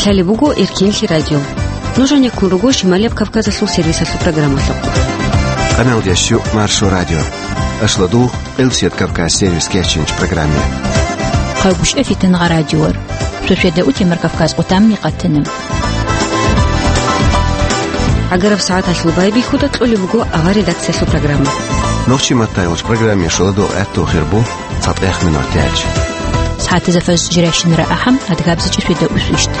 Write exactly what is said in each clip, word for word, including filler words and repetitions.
Гьале буго Эркинлъи радио. Нуж гьанеккун руго Шималияб Кавказалъул сервисалъул программалъухъ. Къаналдящу Маршо радио. Ашладу Элсет Кавказ сервис кечинч программе. Хъагушев Фитангъа радиор. Шошеда утемар Кавказ къутамни къатана. Агараб сагӀаталъул байбихьуда кьолеб буго авар редакциялъул программа. Нохчи маттайгъуч программе шоладу гӀатту хирбу. ЦатӀех минут тяч. СагӀатазда фаз жирайщинара ахӀам, адгабзичӀи шведа усвищт.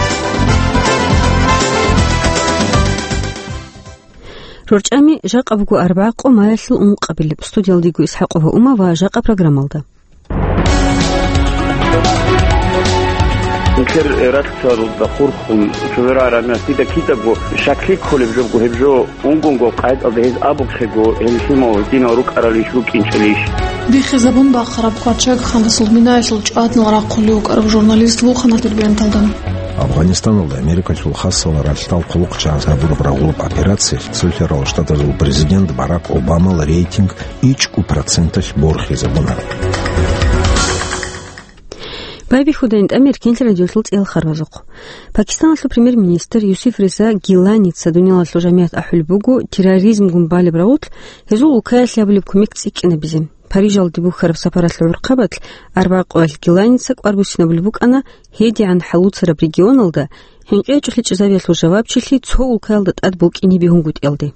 РорчӀами жакъа буго арбагъ къо маялъул ункъабилеб. Студиялдего ИсхӀакъова Ума ва жакъа программалда. Нилъер ралъдалда хурхун, цевера рамиясида кидаго шаклъи кколеб жобго гьеб жо. Унгунго къайдалда гьез абухъего, гьел лъимал гьединал рукӀаралищ, рукӀинчӀелищ? Биххизабун бахъараб къварччаг ханасул минаялъул чӀваднал рахъулев вукӀарав журналист вухана дербенталда. Афганистаналда Америкалъул хасал ралъдал хъулухъчагӀаз гьабураб рагъулаб операциялъ Цолъарал Штатазул президент Барак Обамал рейтинг ичӀго проценталъ борхизабуна. Байбихьуда ин тӀамир кинлъи радиолъул цӀел харбазухъ. Пакистаналъул премьер-министр Юсиф Риза Гиланица дуниялалъул жамигӀат ахӀулеб буго терроризмгун балеб рагъулъ гьезул улкаялъе гьабулеб кумек цӀикӀкӀинабизе. Парижалде бухьараб сапаралъул гӀурхъабалъ арбагъ къоялъ Гиланица кӀвар буссинабулеб букӀана гьедигӀан хӀалуцараб регионалда, гьинкъичӀолъи чӀезавиялъул жавабчилъи цо улкаялда тӀад букӀине бегьунгутӀиялде.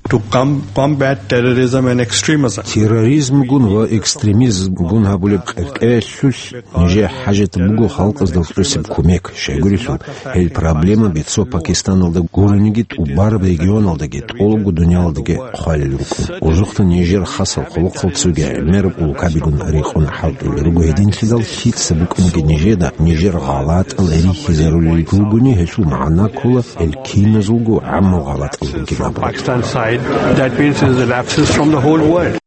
To com-, combat terrorism and extremism. Терроризмгун ва экстремизмгун гьабулеб къеркьералъулъ нижер хӀажат буго халкъазда кьусеб кумек, щайгурелъул гьел проблемаби цо Пакистаналда гурониги тӀубараб регионалдаги тӀолго дуниялалдаги хъвалел рукӀун. Ужухъа нижер хасал хъулухъал цоги гӀемераб улкабигун рекъон хӀалтӀулел руго гьединлъидал лъица букӀаниги нижеда нижер гъалатӀал рихьизарулел ругони гьелъул магӀна ккола гьел киназулго гӀамму гъалатӀал ругин абураб. Pakistan side, that means is the lapses from the whole world.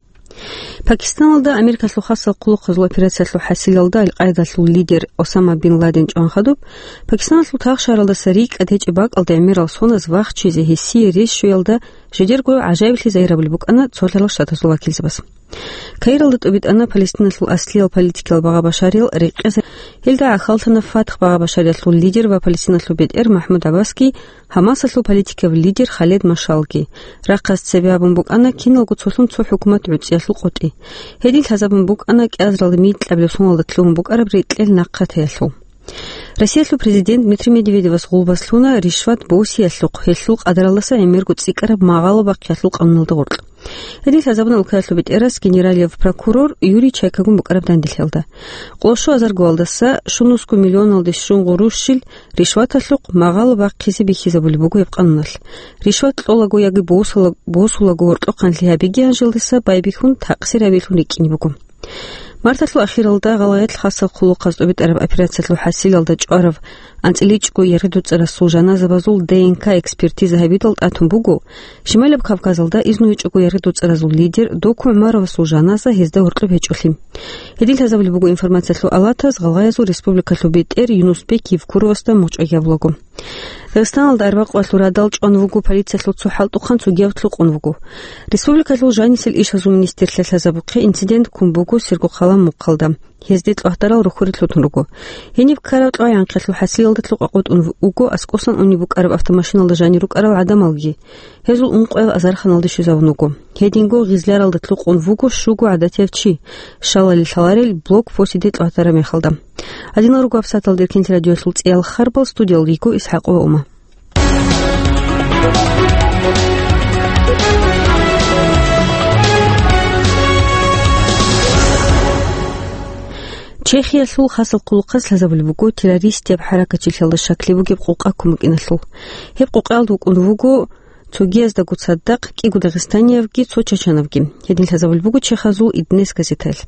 Пакистаналда Америкалъул хасал хъулухъазул операциялъул хӀасилалда Ал-Къайдалъул лидер Осама бин Ладен чӀван хадуб, Пакистаналъул тагъ шагьаралдаса рикӀкӀад гьечӀеб бакӀалда гӀемерал соназ вахчизе гьесие рес щвеялда жидерго гӀажаиблъи загьирабулеб букӀана Цолъарал Штатазул вакилзабаз. Каиралда тӀубитӀана Палестиналъул аслиял политикиял багъа-башариял рекъезаб. Гьелда гӀахьаллъана ФАТХ багъа-башариялъул лидер ва Палестиналъул бетӀер МахӀмуд ГӀаббасги, ХӀамасалъул политикияв лидер Халед Машалги. Рахъалъ цебе гьабун букӀана киналго цолъун цо хӀукумат гӀуцӀиялъул къотӀи. Гьедин лъазабун букӀана кӀиазаралда микьабилеб соналда лъугьун букӀараб рекьел нахъа теялъул. Россиялъул президент Дмитрий Медведевас гъулбас лъуна ришват босиялъухъ, гьелъул къадаралдаса гӀемерго цӀикӀкӀараб магъало бахъиялъул къануналда гъоркь. Гьедин лъазабуна улкаялъул бетӀерас генералияб прокурор Юрий Чайкагун букӀараб данделъиялда. Къоло щуазаргоялдаса щунусго миллионалде щун гъурущил ришваталъухъ магъало бахъизе бихьизабулеб буго гьеб къануналъ. Ришват кьолаго яги босула-, босулаго гьоркьохъанлъи гьабиги гьанжелдаса байбихьун такъсир гьабиялъун рикӀкӀине буго. Марталъул ахиралда гъалгъаялъ хасал хъулухъаз тӀубитӀараб операциялъул хӀасилалда чӀварав анцӀиличӀго яргъи-дуцӀарасул жаназабазул Д Н К экспертиза гьабидал тӀатун буго, Шималаб Кавказалда изну гьечӀого яргъи-дуцӀаразул лидер Доку ГӀумаровасул жаназа гьезда гьоркьоб гьечӀолъи. Гьедин лъазабулеб буго информациялъул алатаз гъалгъаязул республикалъул бетӀер Юнусбек Евкуровасда мухӀчӀай гьабулаго. Дагъистаналда арбакъвалъул радал чӀван вуго, полициялъул цо хӀалтӀухъан цогияб лъукъун вуго. Республикалъул жанисел ишазул министрлъа лъазабухъе инцидент ккун буго Сергокъалан мухъалда. Гьезде кьвагьдарал рухьурел лъутун руго. Гьениб ккараб кьвагӀанхъалъул хӀасилалда лъукъа къотӀун вуго аскӀосан унеб букӀараб автомашиналда жанир рукӀарал гӀадамалги. Гьезул ункъоял азарханалде щвезавун вуго. Гьединго гъизляралда лъукъун вуго щуго гӀадатияв чи, щалали лъаларел блокпостиде кьвагьдараб мехалда. Гьадинал руго гьабсагӀаталда Эркинлъи радиоялъул цӀеял харбал, студиялда йиго ИсхӀакъова Ума. Чехиялъул хасал хъулухъаз лъазабулеб буго террористияб хӀаракатчилъиялда щаклъи бугеб къукъа кумекиналъул. Гьеб къукъаялда вукӀун вуго цогияздаго цадахъ кӀиго дагъистаниявги цо чачанавги. Гьедин лъазабулеб буго чехазул Иднес газетаялъ.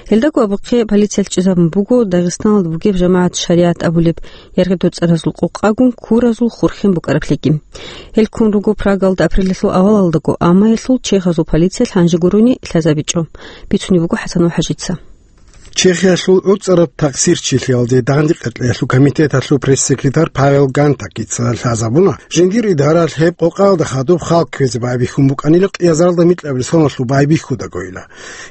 Гьелдаго абухъе полициялъ чӀезабун буго Дагъистаналда бугеб жамагӀат шаригӀат абулеб яргъи-дуцӀаразул къукъагун куразул хурхен букӀараблъиги. Гьел ккун руго Прагалда апрелалъул авалалдаго, амма гьелъул чехазул полициялъ гьанже гурони лъазабичӀо, бицунеб буго ХӀасанов ХӀажица. Чехиялъул гӀуцӀараб такъсирчилъиялде дагъида-къеркьеялъул комитеталъул пресс-секретарь Павел Гантакица лъазабуна, жиндир идаралъ гьеб къокъаялда хадуб халкъ кквезе байбихьун букӀанила кьиазаралда микьабилеб соналъул байбихьудагойила.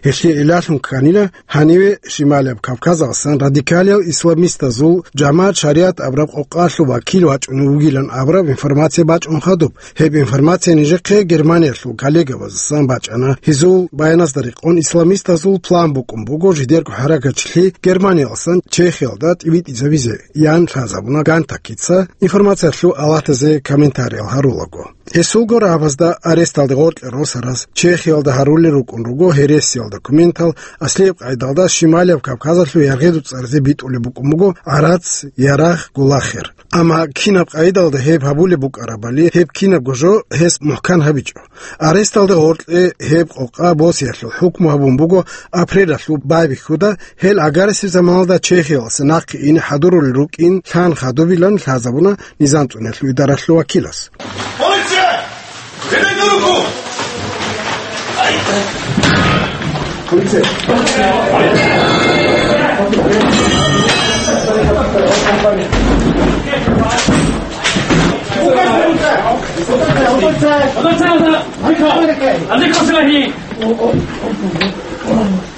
Гьелъие илалъун кканила гьаниве Шималияб Кавказалъан радикалиял исламистазул жамагӀат шаригӀат абураб къокъаялъул вакил вачӀунев вугилан абураб информация бачӀун хадуб. Гьеб информация нижехъе Германиялъул коллегабаздасан бачӀана. Гьезул баяназда рекъон, исламистазул план букӀун буго жидерго хӀаракатчилъи Германиялдасан Чехиялда тӀибитӀизабизе, ян лъазабуна Гантакица, информациялъул алатазе комментариял гьарулаго. Гьесулго рагӀабазда аресталде гъоркье росараз Чехиялда гьарулел рукӀун руго гьересиял документал, аслияб къайдалда Шималияб Кавказалъул яргъеду цӀаразе битӀулеб букӀун буго гӀарац, ярагъ, гулахир. Амма кинаб къайдалда гьеб гьабулеб букӀарабали, гьеб кинабго жо гьес мухӀкан гьабичӀо. Аресталда гъоркье гьеб къокъа босиялъул хӀукму гьабун буго апрелалъул байбихьуда, гьел гӀагарисеб заманалда Чехиялдаса нахъе ине хӀадурулел рукӀин лъан хадубилан лъазабуна низам цӀуниялъул идаралъул вакилас. Полиция! Берите руку!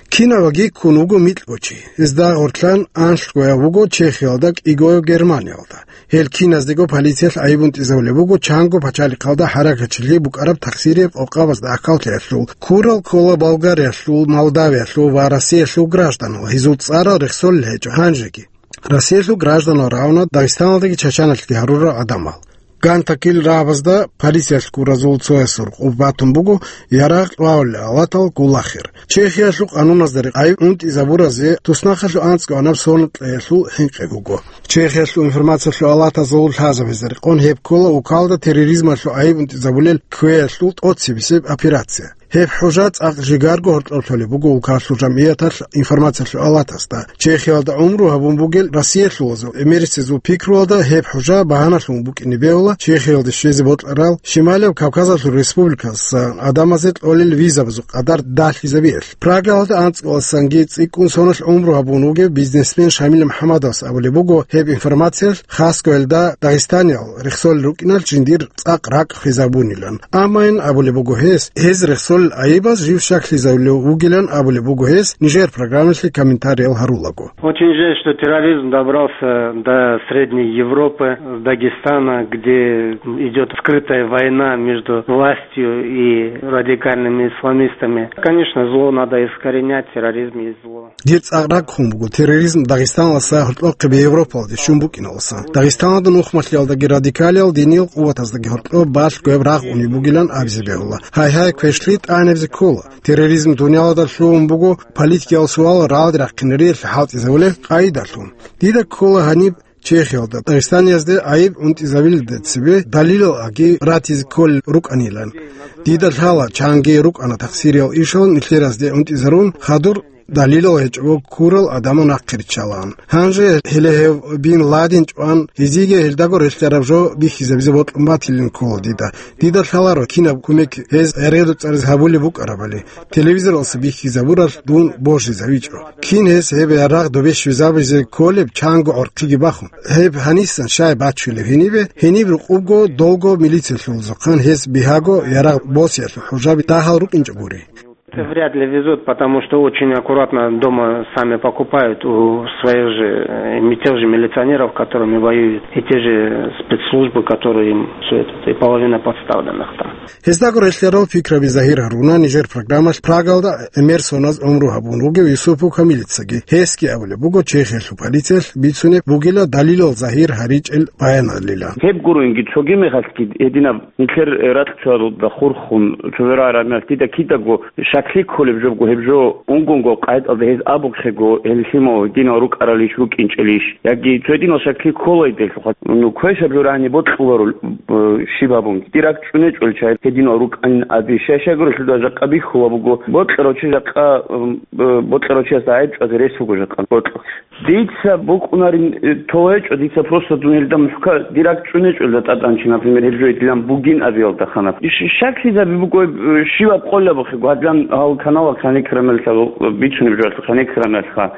Кинабаги ккун вуго микьго чи. Гьезда гъорлъан анлъгояв вуго Чехиялда, кӀигояв Германиялда. Гьел киназдего полициялъ гӀайиб унтӀизавулеб буго чанго пачалихъалда хӀаракатчилъи букӀараб такъсирияб къокъабазда ахӀуллъиялъул. Ккурал ккола Болгариялъул, Молдавиялъул ва Россиялъул гражданал, гьезул цӀарал рехсолел гьечӀо гьанжеги. Россиялъул гражданал рагӀуна Дагъистаналдаги Чачаналъги гьарурал гӀадамал. Гантакил рагӀабазда полициялъ ккуразул цоясул къуб батун буго ярагъ кьвагьулел алатал гулахир. Чехиялъул къануназда рекъон гӀайиб унтӀизабуразе туснахъалъув анцӀго анаб соналъул хӀинкъи буго. Чехиялъул информациялъул алатазул лъазабазда рекъон гьеб ккола укалда терроризмалъул гӀайиб унтӀизабулел кквеялъул тӀоцебесеб операция. Гьеб хӀужа цӀакъ жигарго гьоркьоб лъолеб буго укалъул жамгӀияталъ информациялъул алатасда. Чехиялда гӀумру гьабун бугел россиялъулазул эмерисезул пикруялда гьеб хӀужа багьаналъун букӀине бегьула Чехиялде щвезе бокьарал Шималияб Кавказалъул республиказдасан гӀадамазе кьолел визабазул къадар далъизабиялъ. Прагалда анцӀгоялдасанги цӀикӀкӀун соналъ гӀумру гьабун вугев бизнесмен Шамил МухӀамадовас абулеб буго, гьеб информациялъ хасго гьелда дагъистаниял рехсолел рукӀиналъ жиндир цӀакъ ракӀ хвезабунилан. Амма ин абулеб буго гьес, гьез рехсолел гӀайибаз жив щаклъизавулев вугилан абулеб буго гьес, нижер программалъе комментариял гьарулаго. Очень жаль, что терроризм добрался до Средней Европы, с Дагестана, где идёт скрытая война между властью и радикальными исламистами. Конечно, зло надо искоренять, терроризм есть зло. Дир цӀакъ ракӀ хун буго терроризм Дагъистаналдаса гьоркьохъеб Европалде щун букӀиналдаса. Дагъистаналда нухмалъиялдаги радикалиял диниял къуватаздаги гьоркьоб балъго гьеб рагъ унеб бугилан абизе бегьула. Гьайгьай, квешлъи тӀагӀинабизе ккола. Терроризм дуниялалда лъугьун буго политикиял суал рагӀалде рахъинариялъе хӀалтӀизабулеб къайдалъун. Дида ккола гьаниб Чехиялда Дагъистаниязде гӀайиб унтӀизабилелда цебе далилал аги ратизе кколел рукӀанилан. Дида лъала, чанги рукӀана такъсириял ишал нилъеразде унтӀизарун, хадур далилал гьечӀого ккурал гӀадамал нахъе риччалаан. Гьанже гьеле гьев Бин Ладен чӀван, гьезиеги гьелдаго релълъараб жо бихьизабизе бокьун батилин ккола дида. Дида лъаларо кинаб кумек гьез гӀергъи-дуцӀаризе гьабулеб букӀарабали. Телевизоралъа бихьизабуралъ дун божизавичӀо. Кин гьес гьеб ярагъ добе щвезабизе кколеб чанго гӀорхъиги бахун? Гьеб гьанисан щай бачулеб гьенибе? Гьениб рукъубго долго милициялъулзухъан гьес бигьаго ярагъ босиялъул хӀужаби дагьал рукӀинчӀо гури. Это вряд ли везут, потому что очень аккуратно дома сами покупают у своих же, э, ми-, тех же милиционеров, которыми воюют, и те же спецслужбы, которые им всё это, и половина подставленных там. Гьездаго релълъарал пикраби загьир гьаруна нижер программалъ Прагалда гӀемер соназ гӀумру гьабун вугев Юсупов Камилицаги. Гьесги абулеб буго, Чехиялъул полициялъ бицунеб бугила далилал загьир гьаричӀел баяналилан. Гьеб гурунги цоги мехалъги гьединаб нилъер ракьчӀваралда хурхун, цо верагӀ рамиялъ дида кидаго щаклъи кколеб жобго гьеб жо унгунго къайдалда гьез абухъего, гьел лъимал гьединал рукӀаралищ, рукӀинчӀелищ, яги цо гьединал щаклъи кколайдалъухъа, ну, квешаб жо рагӀани бокьуларо, э, щиб абун. Дир ракӀ чӀунечӀолча гьединал рукӀанин абищ. Щай-щайгурелъул жакъа бихьула буго, бокьарав чи жакъа, м, э, бокьарав чиясда гӀайиб чӀвазе рес буго жакъа бокьухъ. Дица букӀунарин, э, толечӀо, дица просто дун гьелда мухӀкан, дир ракӀ чӀунечӀолда тӀатӀанчи, например, гьеб жо гьедилан бугин абиялда ханаб. Иш-, щаклъизаби буго, э, щибаб къолабухъего, гьадилан гьал каналал кваникрамеллъа, э, бицунеб жоялъул кваникрамеллъа.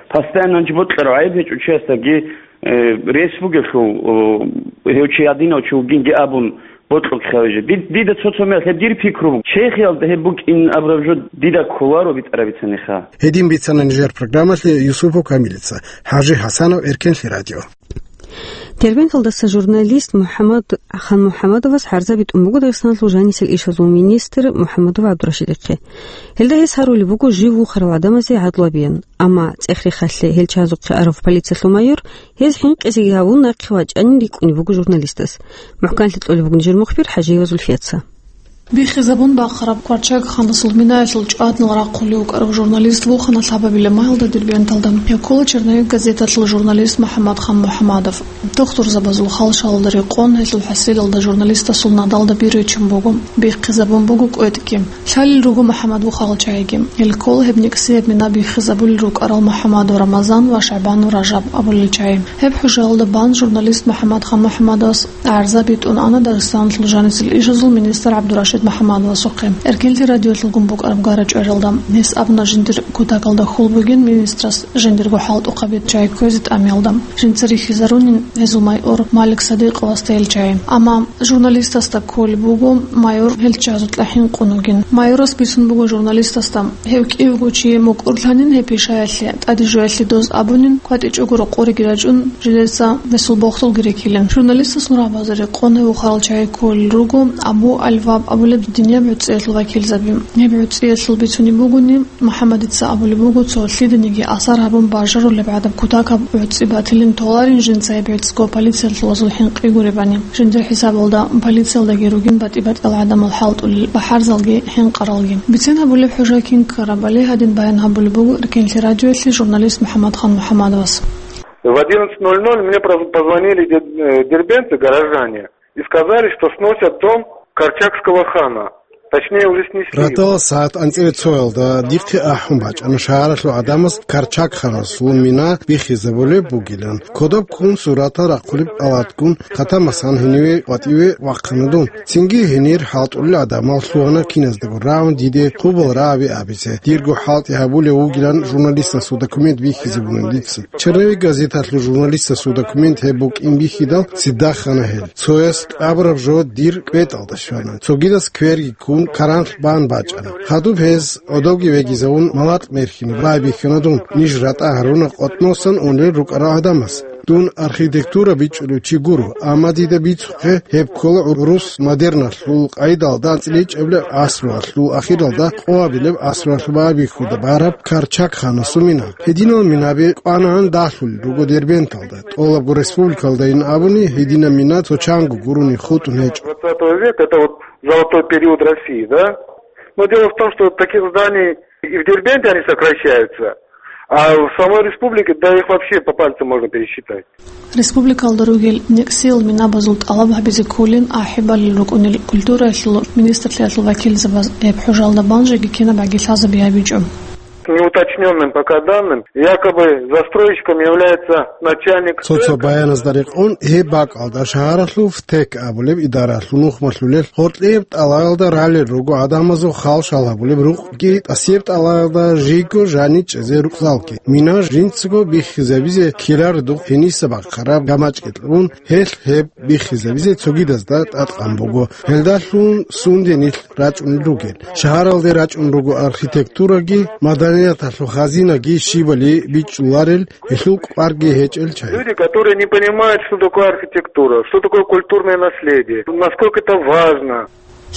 Постоянно чи бокьарав гӀайиб гьечӀо чиясдаги, э, рес бугелъул, о, гьев чи гьадинав чи вугинги абун бокьухъе гьавиже. Дид-, дида цо-цо мехалъ гьеб дир пикру буго. Чехиялда гьеб букӀин абураб жо дида кколаро битӀараб бицаниха. Гьедин бицана нижер программалъе Юсупов Камилица. ХӀажи ХӀасанов, Эркенлъи радио. Дербенталдаса журналист МухӀаммад Хан МухӀаммадовас гӀарза битӀун буго Дагъистаналъул жанисел ишазул министр МухӀаммадов ГӀабдурашидихъе. Гьелда гьес гьарулеб буго жив вухарал гӀадамазе гӀадлу гьабеян, амма цӀех-рехалъе гьел чагӀазухъе арав полициялъул майор гьез хӀинкъизеги гьавун нахъе вачӀанин рикӀкӀунеб буго журналистас. МухӀканлъи кьолеб буго нижер мухбир ХӀажиева Зульфияца. Биххизабун бахъараб Корчагханасул минаялъул чӀваднал рахъулев вукӀарав журналист вухана лъабабилеб майилда Дербенталда. Гьев ккола «Черновик» газеталъул журналист МухӀаммад Хан МухӀаммадов. Духтурзабазул хал-шалалда рекъон гьелъул хӀасилалда журналистасул надалда бир ричун буго. Биххизабун буго кӀветӀги. Лъалел руго МухӀаммад вухарал чагӀиги. Гьел ккола гьеб никсияб мина биххизабулел рукӀарал МухӀаммадов Рамазан ва ШагӀбанов Ражаб абулел чагӀи. Гьеб хӀужаялда бан журналист МухӀаммад Хан МухӀаммадовас гӀарза битӀун ана Дагъистаналъул жанисел ишазул министр ГӀабдурашид МухӀаммадовасухъе. Эркенлъи радиоялъулгун букӀараб гара-чӀваралда гьес абуна жиндир кутакалда хьул бугин министрас жиндирго хӀалтӀухъаби чагӀи кквезе тӀамиялда. Жинца рихьизарунин гьезул майор Малик Садикъовасда гьел чагӀи. Амма журналистасда кколеб буго майор гьел чагӀазукьа хӀинкъун вугин. Майорас бицун буго журналистасда, гьев кӀиявго чи мукӀурлъанин гьеб пишаялъе, тӀаде жоялъе доз абунин, кватӀичӀого рокъориги рачӀун, жидеца гьесул бохдулги рекилин. Журналистасул рагӀабазе рекъон гьев вухарал чагӀи кколел руго Абу Аль-Ваб абулеб динияб гӀуцӀиялъул вакилзаби. Гьеб гӀуцӀиялъул бицунеб бугони, МухӀаммадица абулеб буго, цо лъиданиги асар гьабун бажарулеб гӀадаб кутакаб гӀуцӀи батилин толарин жинца гьеб гӀуцӀго полициялъул вазул хӀинкъи гуребани. Жиндир хӀисабалда полициялдаги ругин батӀи-батӀиял гӀадамал хӀалтӀулел бахӀарзалги хӀинкъаралги. Бицен гьабулеб хӀужа кин ккарабали гьадин баян гьабулеб буго Эркенлъи радиоялъе журналист МухӀаммад Хан МухӀаммадовас. В одиннадцать ноль ноль мне проз-, позвонили де-, э, дербенты, горожане, и сказали, что сносят дом Корчагского хана. Точнее, уже снесли. Ратала сагӀат анцӀила цоялда дихъе ахӀун бачӀана шагьаралъул гӀадамаз Корчагханасул мина биххизабулеб бугилан. Кодоб ккун суратал рахъулеб палаткун хъатамасан гьениве ватӀиве вахъана дун. Цинги гьенир хӀалтӀулел гӀадамал лъугьана киназдаго рагӀун диде хъубал рагӀаби абизе. Дирго хӀалтӀи гьабулев вугилан журналистасул документ биххизабуна дица. «Черновик» газеталъул журналистасул документ гьеб букӀин бихьидал цидахъана гьел. Цояс абураб жо дир кӀветӀалда щвана. Цогидас кверги ккун каранлъ бан бачӀана. Хадуб гьез гӀодовги вегизавун малакь мерхьине байбихьана дун. Ниж ратӀа гьаруна къотӀносан унел рукӀарал гӀадамас. Дун архитектура бичӀчӀулев чи гуро, амма дида бицухъе гьеб ккола гӀурус модерналъул къайдалда анцӀила ичӀабилеб гӀасруялъул ахиралда, къоабилеб гӀасруялъул байбихьуда бараб Корчагханасул мина. Гьединал минаби кӀванагӀан далъулел руго Дербенталда. ТӀолабго республикалдайин абуни, гьединаб мина цо чанго гурони хутӀун гьечӀо. Двадцатого века, это вот золотой период России, да? Но дело в том, что таких зданий и в Дербенте они сокращаются, а в самой республике, да их вообще по пальцам можно пересчитать. Республикалда ругел никсияб минабазул тӀалаб гьабизе кколин ахӀи балел рукӀунел культураялъул министрлъиялъул вакилзабаз гьеб хӀужалда бан жеги кинаб гӀаги лъазабизе гьабичӀо. Неуточнённым пока данным, якобы застройщиком является начальник центра. Цо-цо баяназда рекъон, гьеб бакӀалда шагьаралъул ФТЭК абулеб идаралъул нухмалъулел гъоркьияб тӀалаялда ралел руго гӀадамазул хал-шал гьабулеб рукъги, тӀасияб тӀалаялда жийго жанив чӀезе рукъзалги. Мина жинцаго биххизабизе ккеларедухъ гьениса бахъараб гамачӀги кьун, гьелъ гьеб биххизабизе цогидазда тӀадкъан буго. Гьелдалъун сунде нилъ рачӀунел ругел. Шагьаралде рачӀун руго архитектураги, маданияталъул хазинаги щибали бичӀчӀуларел, гьелъул кӀварги гьечӀел чагӀи. Люди, которые не понимают, что такое архитектура, что такое культурное наследие, насколько это важно.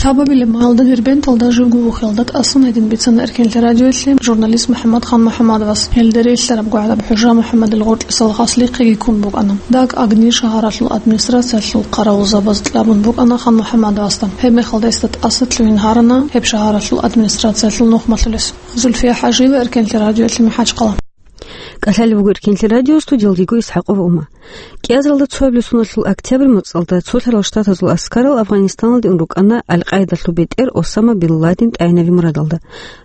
Лъабабилеб майилда Дербенталда живго вухиялда тӀасан гьедин бицана Эркенлъи радиоялъе журналист МухӀаммад Хан МухӀаммадовас. Гьелде релълъараб гӀадаб хӀужа МухӀаммадил гъоркьисал хаслихъеги ккун букӀана. Даг Агни шагьаралъул администрациялъул хъаравулзабаз кьабун букӀана Хан МухӀаммадовасда. Гьеб мехалда гьесда тӀаса лъугьин гьарана гьеб шагьаралъул администрациялъул нухмалъулес. Зульфия ХӀажиева, Эркенлъи радиоялъе, МахӀачхъала. КӀалъалев вуго Эркенлъи радио, студиялда йиго ИсхӀакъова Ума. КӀиазаралда цоабилеб соналъул октябрь моцӀалда Цолъарал Штатазул аскарал Афганистаналде ун рукӀана Аль-Къаидалъул бетӀер Осама бин Ладен тӀагӀинаби мурадалда.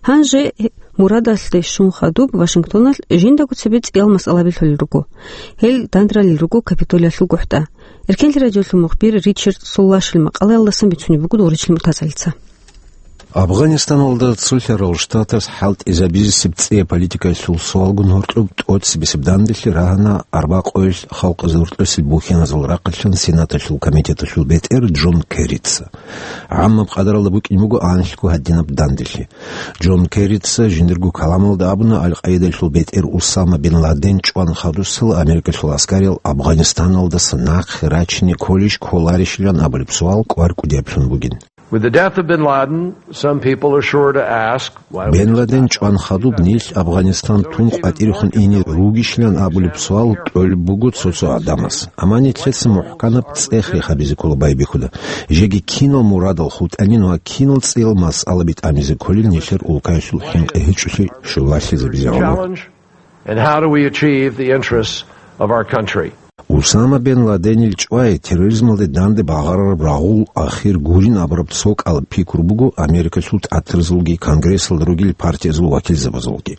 Гьанже мурадалъе щун хадуб Вашингтоналъ жиндаго цебе цӀиял масъалаби лъолел руго. Гьел дандралел руго Капитолиялъул гохӀда. Эркенлъи радиоялъул мухбир Ричард Соллашил макъалаялдасан бицунеб буго Доричил МуртазагӀалица. Афганистаналда цолъарал штатас хӀалтӀизабизесеб цӀе политикаялъул суалгун гьоркьоб тӀоцебесеб данделъи рагьана арбакъойил халкъазул рукьусеб бухьаназул рахъалъан Сенаталъул комитеталъул бетӀер Джон Керрица. ГӀаммаб къадаралда букӀин буго анлъго гьадинаб данделъи. Джон Керрица жиндирго каламалда абуна, Аль-Къаидалъул бетӀер Усама бин Ладен чӀван хадусала Америкалъул аскариял Афганистаналдаса нахъе рачине кколищ кколарищилан абулеб суал кӀвар кӀудияблъун бугин. With the death of bin Laden, some people are sure to ask, why we Бен just Ладен not чӀван хадуб нилъ Афганистан тун къватӀирехун ине ругищилан абулеб суал кьолеб буго цо-цо гӀадамас. Амма нилъеца мухӀканаб цӀех рехабизе ккола байбихьуда. Жеги кинал мурадал хутӀанин ва кинал цӀиял масъалаби тӀамизе кколел нилъер улкаялъул хӀинкъи гьечӀолъи щулалъизабизе гӀоло. Challenge and how do we achieve the interests of our country? Усама бен Ладенил чӀвай терроризмалде данде багъарараб рагъул ахир гурин абураб цо кӀалаб пикру буго Америкалъул ТӀатразулги Конгрессалда ругел партиязул вакилзабазулги.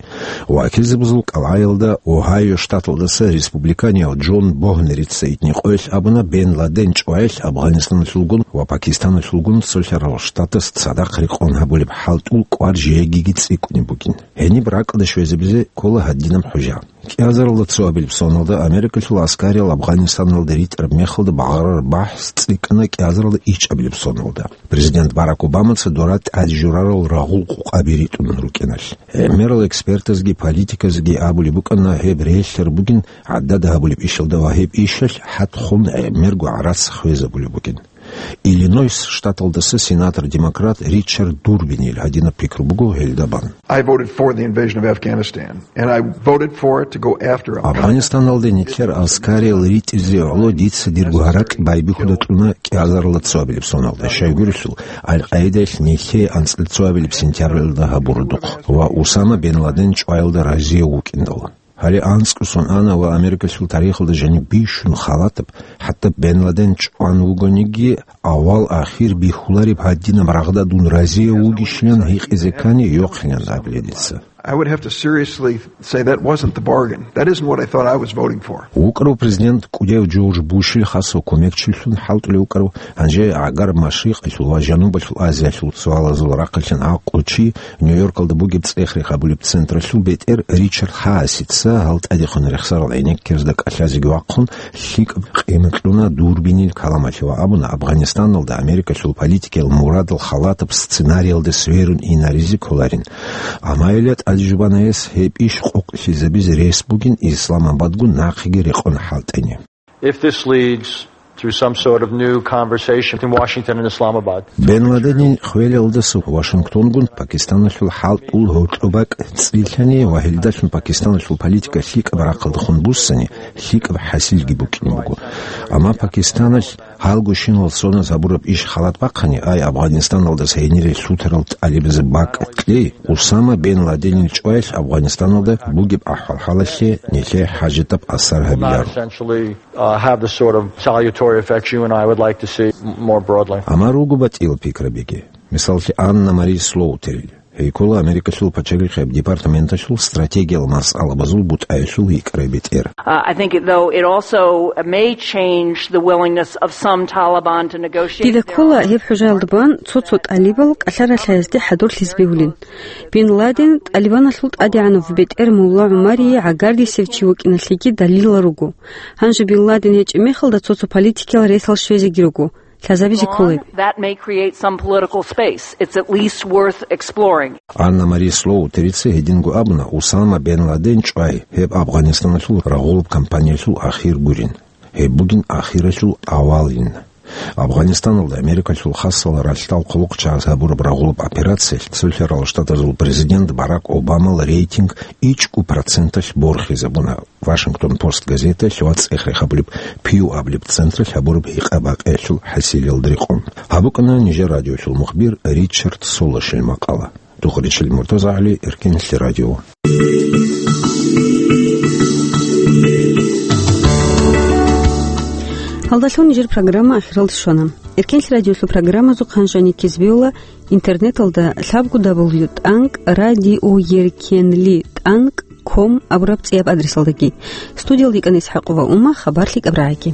Вакилзабазул кӀалгӀаялда Огайо штаталдаса республиканияв Джон Богнерица итни къоялъ абуна, Бен Ладен чӀваялъ Афганистаналъулгун ва Пакистаналъулгун цолъарал штатас цадахъ рекъон гьабулеб хӀалтӀул кӀвар жегиги цӀикӀкӀунеб бугин. Гьениб ракӀалде щвезабизе ккола гьадинаб хӀужа. КӀиазаралда цоабилеб соналда Америкалъул аскариял Афганистаналда ритӀараб мехалда багъарараб бахӀс цӀикӀкӀана кӀиазаралда ичӀабилеб соналда. Президент Барак Обамаца дора тӀад журарал рагъул къукъаби ритӀун рукӀиналъ. ГӀемерал экспертазги политиказги абулеб букӀана, гьеб релълъараб бугин гӀадада гьабулеб ишалда ва гьеб ишалъ хӀатхун гӀемерго гӀарац хвезабулеб бугин. Иллинойс штаталдаса сенатор-демократ Ричард Дурбинил гьадинаб пикру буго гьелда бан. I voted for the invasion of Afghanistan, and I voted for it to go after Al-Qaeda. Афганистаналде нилъер аскариял ритӀизе гӀоло дица дирго гьаракь байбихьуда кьуна кӀиазаралда цоабилеб соналда, щайгурелъул Аль-Къаидаялъ нилъее анцӀила цоабилеб сентябралда гьабураб духъ ва Усама бен Ладен чӀваялда разияв вукӀиндал. Гьале анцӀго сон ана ва Америкалъул тарихалда жаниб бищун халатаб, хӀатта Бен Ладен чӀван вугониги, авал-ахир бихьулареб гьадинаб рагъда дун разияв вугищилан гьикъизе ккани йохъилан абилеб дица. I would have to seriously say that wasn't the bargain. That isn't what I thought I was voting for. ВукӀарав президент кӀудияв Джордж Бушил хасав кумекчилъун хӀалтӀулев вукӀарав, гьанже гӀагар Машрикъалъул ва Жанубалъул Азиялъул суалазул рахъалъан гӀакълу чи Нью-Йоркалда бугеб цӀех рехабулеб централъул бетӀер Ричард Хаасица гьал тӀадехун рехсарал гӀенеккерзда кӀалъазеги вахъун, лъикӀаб къимат кьуна Дурбинил каламалъе ва абуна, Афганистаналда Америкалъул политикиял мурадал халатаб сценариялде сверун инаризе кколарин. Амма гьеле тӀадежубанаяс гьеб иш къокълъизабизе рес бугин Исламабадгун нахъеги рекъон хӀалтӀене. If this leads to some sort of new conversation between Washington and Islamabad. Бен Ладенил хвелалдаса Вашингтонгун Пакистаналъул хӀалтӀул гьоркьоб бакӀ цӀилъани ва гьелдалъун Пакистаналъул политика лъикӀаб рахъалдехун буссани, лъикӀаб хӀасилги букӀине буго. Амма Пакистаналъ гьалго щинал соназ гьабураб иш халат бахъани, ай Афганистаналдаса гьенире лъутарал тӀалибазе бакӀ кьей, Усама бен Ладенил чӀваялъ Афганистаналда бугеб ахӀвал-хӀалалъе нилъее хӀажатаб асар гьабиларо. Essentially, uh, have the sort of salutary effects you and I would like to see m-, more broadly. Амма руго батӀиял пикрабиги. Мисаллъи, Анна-Мари Слоутерил. Гьей ккола Америкалъул пачалихъияб департаменталъул стратегиял масъалабазул бутӀаялъул йикӀарай бетӀер. Uh, I think, though, it also may change the willingness of some Taliban to negotiate. Дида ккола гьеб хӀужаялда бан цо-цо тӀалибал кӀалъаралъаязде хӀадурлъизе бегьулин. Бин Ладен ТӀалибаналъул тӀадегӀанав бетӀер Мулла ГӀумарие гӀагардисев чи вукӀиналъеги далилал руго. Гьанже Бин Ладен гьечӀеб мехалда цо-цо политикиял ресал щвезеги руго. Лъазабизе кколеб. That may create some political space. It's at least worth exploring. Анна-Мари Слоутерица гьединго абуна, Усама бен Ладен чӀвай, гьеб Афганистаналъул рагъулаб кампаниялъул ахир гурин. Гьеб бугин ахиралъул авалин. Афганистаналда Америкалъул хасал ралъдал хъулухъчагӀаз гьабураб рагъулаб операциялъ Цолъарал Штатазул президент Барак Обамал рейтинг ичӀго проценталъ борхизабуна. Вашингтон Пост газеталъ ва цӀех рехабулеб Пью абулеб централъ гьабураб гьикъа-бакъиялъул хӀасилалда рекъон. Гьаб букӀана нижер радиолъул мухбир Ричард Солошил макъала. Тухричил МуртазагӀли, Эркенлъи радио. Гьалдалъун нижер программа ахиралде щвана. Эркенлъи радиолъул программазухъ гьанже ккезбевла интернеталда лъабго дабл ю тӀанкӀ радиоеркенли тӀанкӀ ком абураб цӀияб адресалдаги. Студиялда йикӀана ИсхӀакъова Ума, хабар лъикӀаб рагӀаги.